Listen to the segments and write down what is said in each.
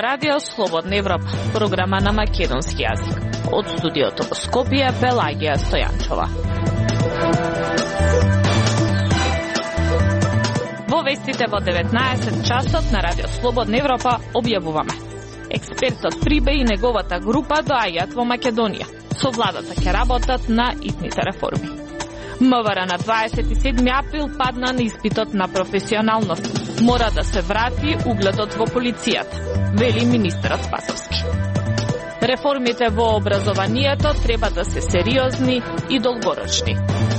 Ова радио Слободна Европа, програма на македонски јазик. Од студиото во Скопје, Пелагија Стојанчова. Во вестите во 19 часот на радио Слободна Европа објавуваме. Експертот Прибе и неговата група доаѓаат во Македонија. Со владата ќе работат на итните реформи. МВР на 27 април падна на испитот на професионалност. Мора да се врати угледот во полицијата, вели министерот Спасовски. Реформите во образованието треба да се сериозни и долгорочни.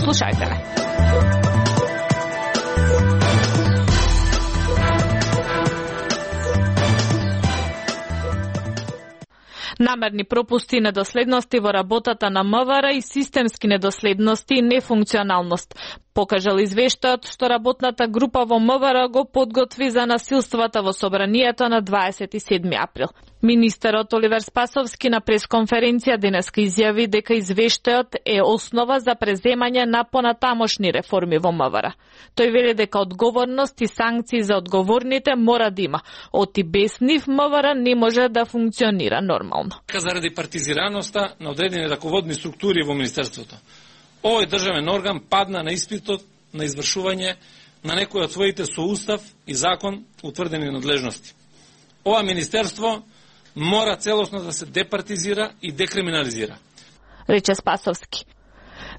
Слушајте ме. Намерни пропусти и недоследности во работата на МВР и системски недоследности и нефункционалност покажал извештајот што работната група во МВР го подготви за насилствата во собранието на 27 април. Министерот Оливер Спасовски на пресконференција денеска изјави дека извештајот е основа за преземање на понатамошни реформи во МВР. Тој вели дека одговорност и санкции за одговорните мора да има. Оти без нив МВР не може да функционира нормално. Заради партизираноста на одредени раководни структури во Министерството, овој државен орган падна на испитот на извршување на некои од своите со устав и закон утврдени надлежности. Ова министерство мора целосно да се департизира и декриминализира, рече Спасовски.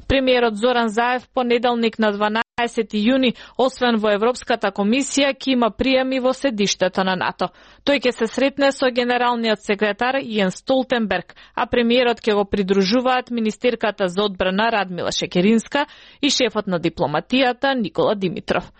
Премиерот Зоран Заев понеделник на 12 јуни, освен во Европската комисија, ќе има приеми во седиштето на НАТО. Тој ќе се сретне со генералниот секретар Јенс Столтенберг, а премиерот ќе го придружуваат министерката за одбрана Радмила Шекеринска и шефот на дипломатијата Никола Димитров.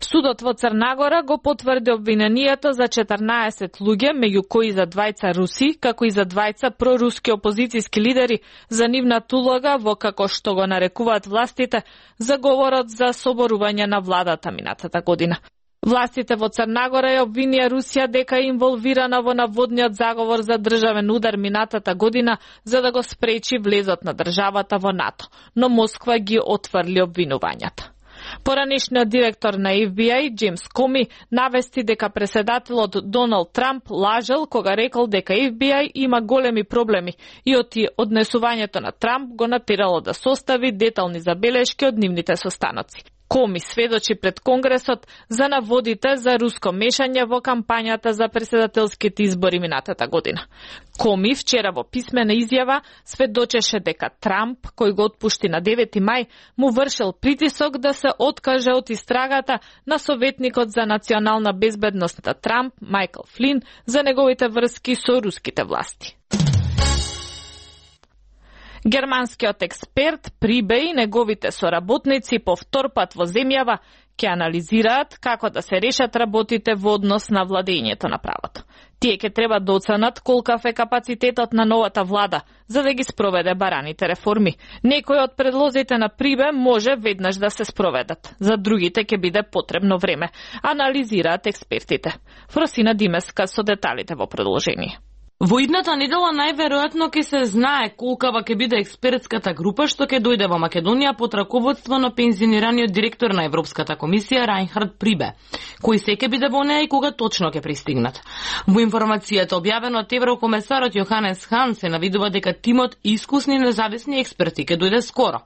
Судот во Црна го потврди обвинението за 14 луѓе, меѓу кои за двајца руси, како и за двајца проруски опозицијски лидери, за нивната улога во, како што го нарекуваат властите, заговорот за соборување на владата минатата година. Властите во Црна Гора ја обвинија Русија дека е инволвирана во наводниот заговор за државен удар минатата година за да го спречи влезот на државата во НАТО, но Москва ги отфрли обвинувањата. Поранешниот директор на FBI, Джеймс Коми, навести дека преседателот Доналд Трамп лажел кога рекол дека FBI има големи проблеми и однесувањето на Трамп го натерало да состави детални забелешки од нивните состаноци. Коми сведочи пред Конгресот за наводите за руско мешање во кампањата за преседателските избори минатата година. Коми вчера во писмена изјава сведочеше дека Трамп, кој го отпушти на 9 мај, му вршил притисок да се откаже од истрагата на советникот за национална безбедност на Трамп, Майкл Флин, за неговите врски со руските власти. Германскиот експерт Прибе и неговите соработници по втор пат во земјава ќе анализираат како да се решат работите во однос на владењето на правото. Тие ќе треба да оценат колкав е капацитетот на новата влада за да ги спроведе бараните реформи. Некои од предлозите на Прибе може веднаш да се спроведат, за другите ќе биде потребно време, анализираат експертите. Фросина Димеска со деталите во продолжение. Во идната недела најверојатно ќе се знае колкава ќе биде експертската група што ќе дојде во Македонија под раководство на пензионираниот директор на Европската комисија Рајнхард Прибе, кој се ќе биде во неа и кога точно ќе пристигнат. Во информацијата објавена од еврокомесарот Јоханес Хан се навидува дека тимот искусни независни експерти ќе дојде скоро.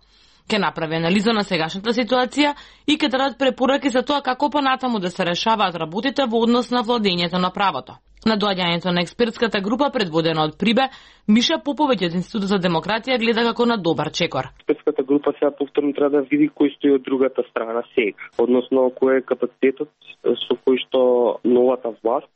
Ќе направи анализа на сегашната ситуација и ќе дадат препораки за тоа како понатаму да се решаваат работите во однос на владењето на правото. На доаѓањето на експертската група предводена од Прибе, Миша Поповиќ од Институтот за демократија гледа како на добар чекор. Експертската група сега повторно треба да види кој стои од другата страна сега, односно кој е капацитетот со кој што новата власт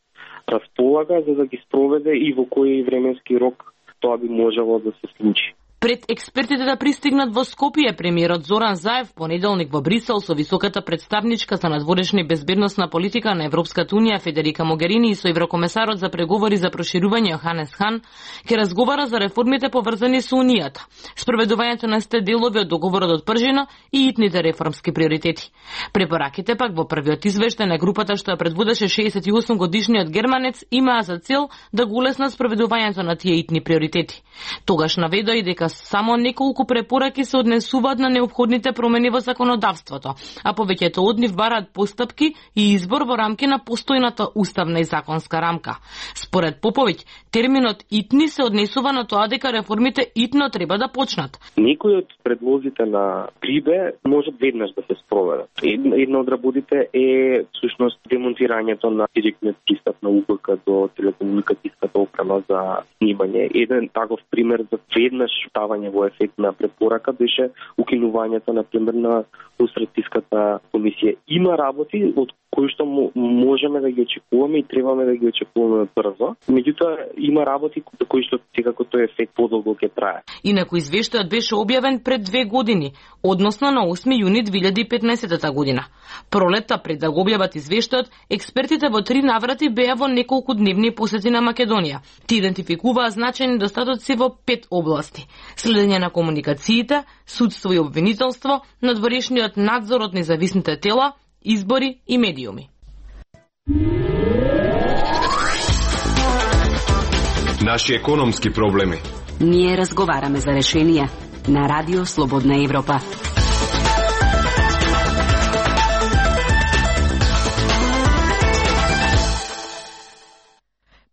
располага за да ги спроведе и во кој временски рок тоа би можело да се случи. Пред експертите да пристигнат во Скопје, премиерот Зоран Заев понеделник во Брисел со високата представничка за надворешна и безбедносна политика на Европската унија Федерика Могерини и со еврокомесарот за преговори за проширување Јоханес Хан ќе разговара за реформите поврзани со унијата, спроведувањето на сте делови од договорот од Пржина и итните реформски приоритети. Препораките пак во првиот извештај на групата што ја предводеше 68 годишниот германец имаа за цел да го улеснат спроведувањето на тие итни приоритети. Тогаш наведоа и дека само неколку препораки се однесуваат на неопходните промени во законодавството, а повеќето од нив бараат постапки и избор во рамки на постојната уставна и законска рамка. Според Поповиќ, терминот итни се однесува на тоа дека реформите итно треба да почнат. Некои од предлозите на Прибе може веднаш да се спроведат. Една од работите е всушност демонтирањето на директниот пристап на УПК до телекомуникацијската опрема за снимање. Еден таков пример за веднаш ставање во ефект на препорака беше укинувањето на пример на лустрациската комисија. Има работи од кои што можеме да ги очекуваме и требаме да ги очекуваме брзо. Меѓутоа има работи кои што секако тој ефект подолго ќе трае. Инаку извештајот беше објавен пред 2 години, односно на 8 јуни 2015 година. Пролетта пред да го објават извештајот, експертите во 3 наврати беа во неколку дневни посети на Македонија. Ти идентификуваа значајни недостатоци во 5 области: следење на комуникациите, судство и обвинителство, надворешниот надзор од независните тела, избори и медиуми. Наши економски проблеми. Ние разговараме за решенија на Радио Слободна Европа.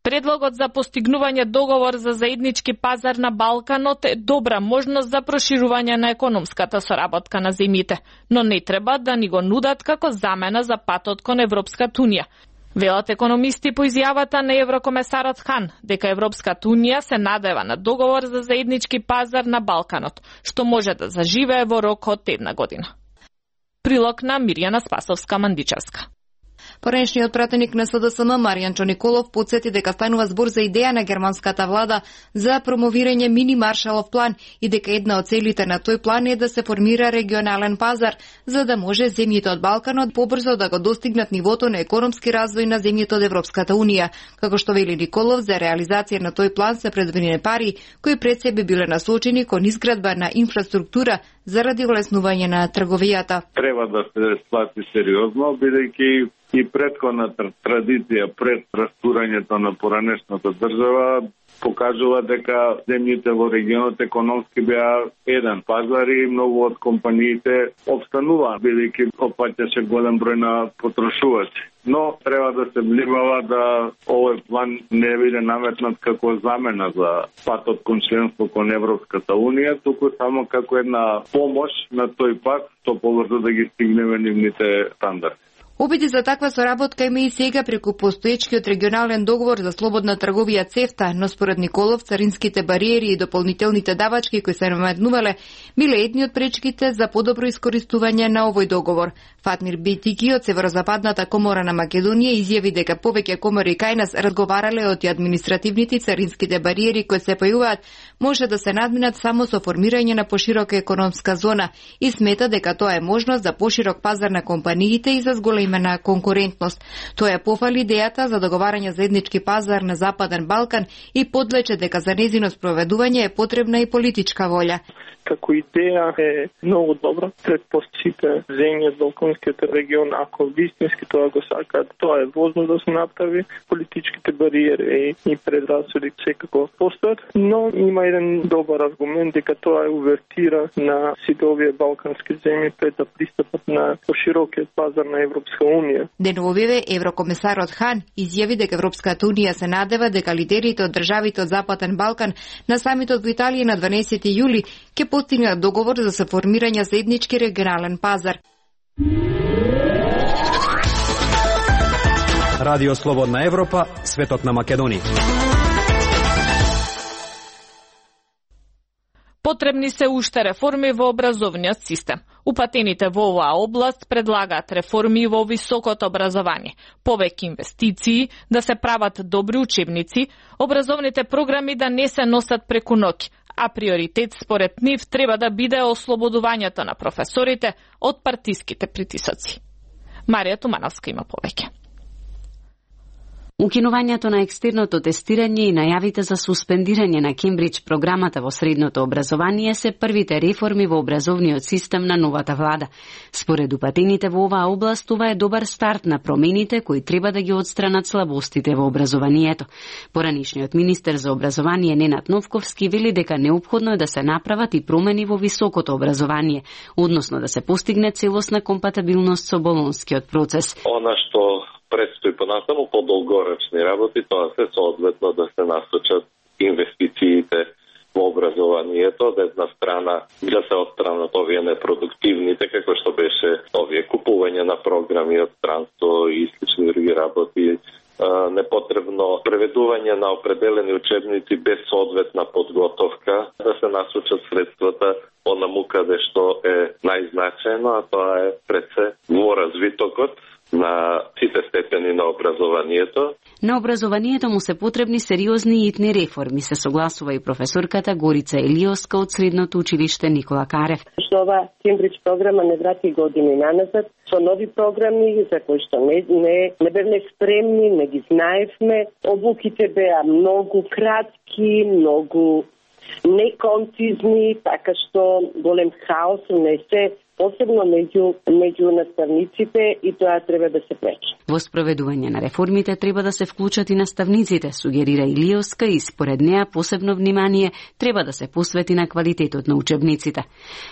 Предлогот за постигнување договор за заеднички пазар на Балканот е добра можност за проширување на економската соработка на земјите, но не треба да ни го нудат како замена за патот кон Европската унија. Велат економисти по изјавата на еврокомесарот Хан дека Европската унија се надева на договор за заеднички пазар на Балканот, што може да заживее во рок од 1 година. Прилог на Мирјана Спасовска-Мандичевска. Поранешниот пратеник на СДСМ Маријан Николов потсети дека станува збор за идеја на германската влада за промовирање мини Маршалов план и дека една од целите на тој план е да се формира регионален пазар, за да може земјите од Балканот побрзо да го достигнат нивото на економски развој на земјите од Европската унија. Како што вели Николов, за реализација на тој план се предвидени пари кои пред себе биле насочени кон изградба на инфраструктура заради олеснување на трговијата. Треба да се сплати сериозно, бидејќи и претходната традиција пред растурањето на поранешната држава покажува дека земјите во регионот економски беа еден пазар и многу од компаниите обстануваа, бидејќи опаќаше голем број на потрошувачи. Но треба да се внимава да овој план не биде наметнат како замена за патот кон членство кон Европската унија, туку само како една помош на тој пат, што побрзо да ги стигнеме нивните стандарди. Обиди за таква соработка има и сега преку постоечкиот регионален договор за слободна трговија ЦЕФТА, но според Николов царинските бариери и дополнителните давачки кои се наметнувале биле едни од пречките за подобро искористување на овој договор. Фатмир Битики од Северозападната комора на Македонија изјави дека повеќе комори кај нас разговарале од административните и царинските бариери кои се појавуваат може да се надминат само со формирање на поширока економска зона и смета дека тоа е можност за поширок пазар на компаниите и за зголемена конкурентност. Тоа е пофали идејата за договарање заеднички пазар на Западен Балкан и подлече дека за незино спроведување е потребна и политичка волја. Како идеја е многу добра пред сите земји од Балканскиот регион, ако вистински тоа го сакаат, тоа е возможно да се направи. Политичките бариери и предрасуди секако постојат, но има еден добар аргумент дека тоа е увертира на сите овие балкански земји пред да пристапат на поширокиот пазар на Европска унија. Деновиве еврокомесарот Хан изјави дека Европската унија се надева дека лидерите од државите од Западен Балкан на самитот во Италија на 12 јули ќе постигнат договор за се формирање заеднички регионален пазар. Радио Слободна Европа, светот на Македонија. Потребни се уште реформи во образовниот систем. Упатените во оваа област предлагаат реформи во високото образование, повеќе инвестиции, да се прават добри учебници, образовните програми да не се носат преку ноќ, а приоритет според нив треба да биде ослободувањето на професорите од партиските притисоци. Марија Тумановска има повеќе. Укинувањето на екстерното тестирање и најавите за суспендирање на Кембридж програмата во средното образование се првите реформи во образовниот систем на новата влада. Според упатените во оваа област, ова е добар старт на промените кои треба да ги отстранат слабостите во образованието. Поранишниот министер за образование Ненад Новковски вели дека неопходно е да се направат и промени во високото образование, односно да се постигне целосна компатибилност со болонскиот процес. Она што предстои понатаму по долгорочни работи, тоа се соодветно да се насочат инвестициите во образованието, од една страна да се отстранат овие непродуктивните, како што беше овие купување на програми од странство и слични други работи, непотребно преведување на определени учебници без соодветна подготовка, да се насочат средствата онаму каде што е најзначаено, а тоа е пред се во развитокот на сите степени на образованието. На образованието му се потребни сериозни и итни реформи, се согласува и професорката Горица Елиоска од Средното училиште Никола Карев. Што ова Кембридж програма не врати години наназад, со нови програми за кои што не бевме спремни, не ги знаевме. Обуките беа многу кратки, многу неконцизни, така што голем хаос унесе посебно меѓу наставниците и тоа треба да се пречи. Во спроведување на реформите треба да се вклучат и наставниците, сугерира Илиоска, и според неа посебно внимание треба да се посвети на квалитетот на учебниците.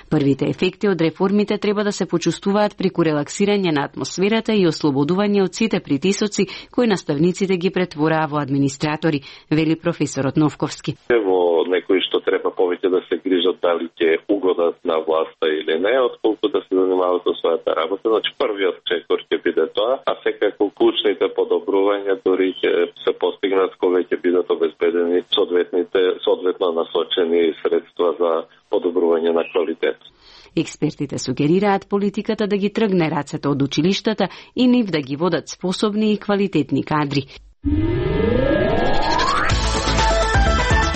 Првите ефекти од реформите треба да се почувствуваат преку релаксирање на атмосферата и ослободување од сите притисоци кои наставниците ги претвораа во администратори, вели професорот Новковски. Во некои што треба повеќе да се грижат дали ќе угодат на власта или не, отколку да се занимаваат со својата работа. Значи првиот чекор ќе биде тоа, а секако клучните подобрувања дури ќе се постигнат кога ќе бидат обезбедени соодветно насочени средства за подобрување на квалитет. Експертите сугерираат политиката да ги тргне рацете од училиштата и нив да ги водат способни и квалитетни кадри.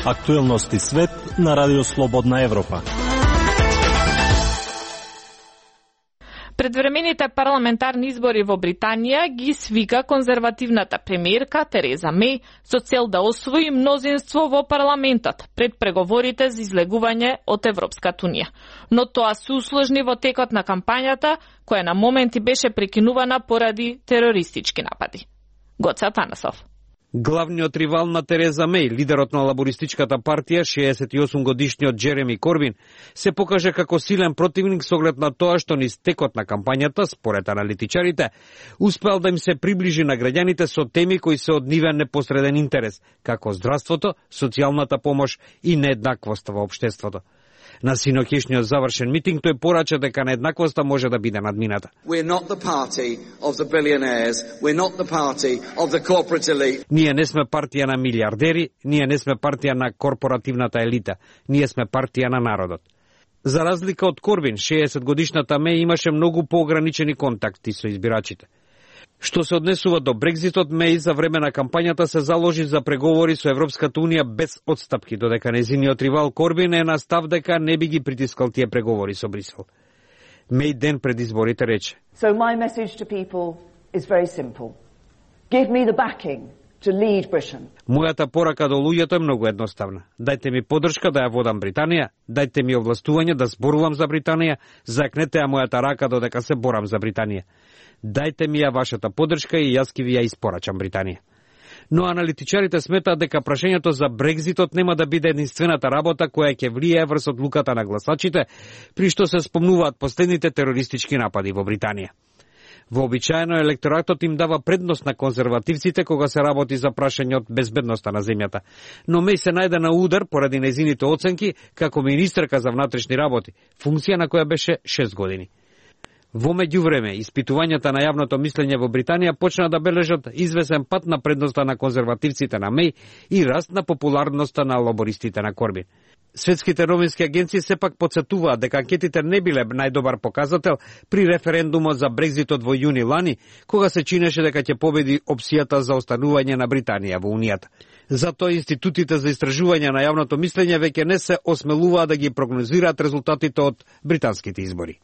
Актуелности свет на Радио Слободна Европа. Предвремените парламентарни избори во Британија ги свика конзервативната премиерка Тереза Меј со цел да освои мнозинство во парламентот пред преговорите за излегување од Европската унија. Но тоа се усложни во текот на кампањата, која на моменти беше прекинувана поради терористички напади. Гоце Атанасов. Главниот ривал на Тереза Меј, лидерот на лабористичката партија, 68-годишниот Джереми Корбин, се покаже како силен противник со оглед на тоа што низ текот на кампањата, според аналитичарите, успел да им се приближи на граѓаните со теми кои се од нивен непосреден интерес, како здравството, социјалната помош и нееднаквоста во општеството. На синоќешниот завршен митинг тој порача дека нееднаквоста може да биде надмината. Ние не сме партија на милиардери, ние не сме партија на корпоративната елита, ние сме партија на народот. За разлика од Корбин, 60-годишната Меј имаше многу поограничени контакти со избирачите. Што се однесува до Брекзитот, Меј за време на кампањата се заложи за преговори со Европската унија без отстапки, додека нејзиниот ривал Корбин е на став дека не би ги притискал тие преговори со Брисел. Меј ден пред изборите рече: So my message to people is very simple. Give me the backing to lead Britain. Мојата порака до луѓето е многу едноставна. Дајте ми поддршка да ја водам Британија, дајте ми овластување да зборувам за Британија, закнете ја мојата рака додека се борам за Британија. Дајте ми ја вашата поддршка и јас ќе ви ја испорачам Британија. Но аналитичарите сметаат дека прашањето за Брекзитот нема да биде единствената работа која ќе влијае врз одлуката на гласачите, при што се спомнуваат последните терористички напади во Британија. Вообичаено електоратот им дава предност на конзервативците кога се работи за прашање од безбедноста на земјата. Но Меј се најде на удар поради нејзините оценки како министерка за внатрешни работи, функција на која беше 6 години. Во меѓувреме, испитувањата на јавното мислење во Британија почна да бележат извесен пат на предноста на конзервативците на Меј и раст на популарноста на лабористите на Корбин. Светските новински агенции сепак потсетуваат дека анкетите не биле најдобар показател при референдумот за Брекзитот во јуни лани, кога се чинеше дека ќе победи опцијата за останување на Британија во Унијата. Затоа институтите за истражување на јавното мислење веќе не се осмелуваат да ги прогнозираат резултатите од британските избори.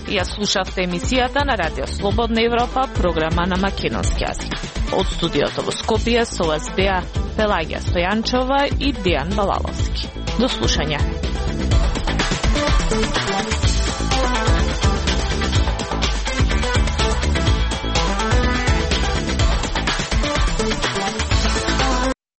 Ја слушавте емисијата на Радио Слободна Европа, програма на македонски јазик. Од студиото во Скопје со вас беа Пелагија Стојанчова и Дејан Балаловски. До слушање.